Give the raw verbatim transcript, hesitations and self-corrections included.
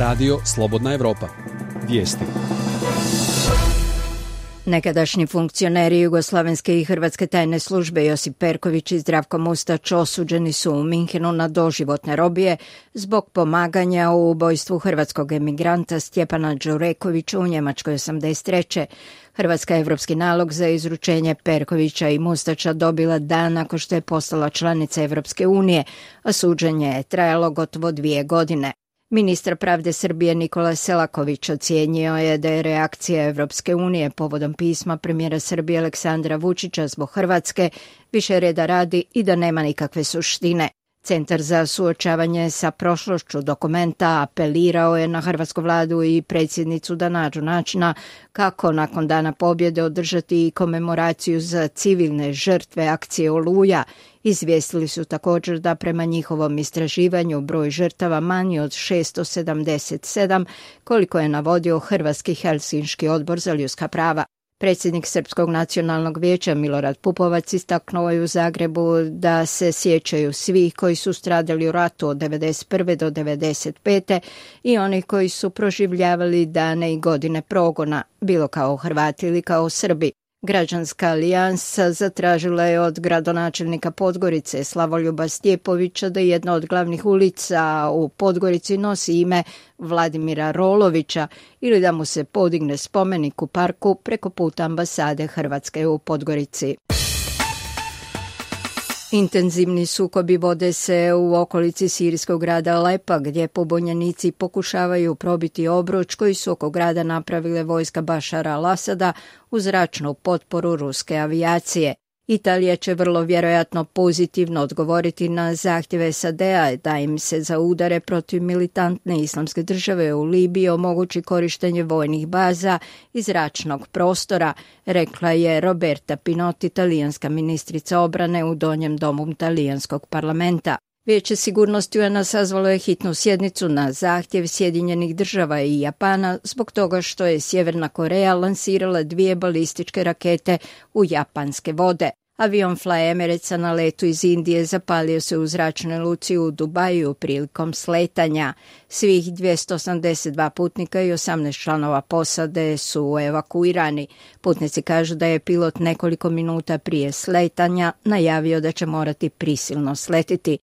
Radio Slobodna Evropa. Vijesti. Nekadašnji funkcioneri Jugoslavenske i Hrvatske tajne službe Josip Perković i Zdravko Mustać osuđeni su u Minhenu na doživotne robije zbog pomaganja u ubojstvu hrvatskog emigranta Stjepana Đurekovića u Njemačkoj osamdeset treće. Hrvatska je evropski nalog za izručenje Perkovića i Mustača dobila dan nakon što je postala članica Evropske unije, a suđenje je trajalo gotovo dvije godine. Ministar pravde Srbije Nikola Selaković ocijenio je da je reakcija Evropske unije povodom pisma premijera Srbije Aleksandra Vučića zbog Hrvatske više reda radi i da nema nikakve suštine. Centar za suočavanje sa prošlošću dokumenta apelirao je na hrvatsku vladu i predsjednicu da nađu načina kako nakon dana pobjede održati komemoraciju za civilne žrtve akcije Oluja. Izvijestili su također da prema njihovom istraživanju broj žrtava manji od šesto sedamdeset sedam, koliko je navodio Hrvatski Helsinški odbor za ljudska prava. Predsjednik Srpskog nacionalnog vijeća Milorad Pupovac istaknuo je u Zagrebu da se sjećaju svih koji su stradali u ratu od devedeset prve do devedeset pete i onih koji su proživljavali dane i godine progona, bilo kao Hrvati ili kao Srbi. Građanska alijansa zatražila je od gradonačelnika Podgorice Slavoljuba Stjepovića da jedna od glavnih ulica u Podgorici nosi ime Vladimira Rolovića ili da mu se podigne spomenik u parku preko puta ambasade Hrvatske u Podgorici. Intenzivni sukobi vode se u okolici sirijskog grada Alepa, gdje pobunjenici pokušavaju probiti obruč koji su oko grada napravile vojska Bašara al-Asada uz zračnu potporu ruske avijacije. Italija će vrlo vjerojatno pozitivno odgovoriti na zahtjeve S A D-a da im se za udare protiv militantne islamske države u Libiji omogući korištenje vojnih baza i zračnog prostora, rekla je Roberta Pinotti, talijanska ministrica obrane u donjem domu talijanskog parlamenta. Vijeće sigurnosti U N-a sazvalo je hitnu sjednicu na zahtjev Sjedinjenih država i Japana zbog toga što je Sjeverna Koreja lansirala dvije balističke rakete u japanske vode. Avion Fly Emiratesa na letu iz Indije zapalio se u zračnoj luci u Dubaju prilikom sletanja. Svih dvjesto osamdeset dva putnika i osamnaest članova posade su evakuirani. Putnici kažu da je pilot nekoliko minuta prije sletanja najavio da će morati prisilno sletiti.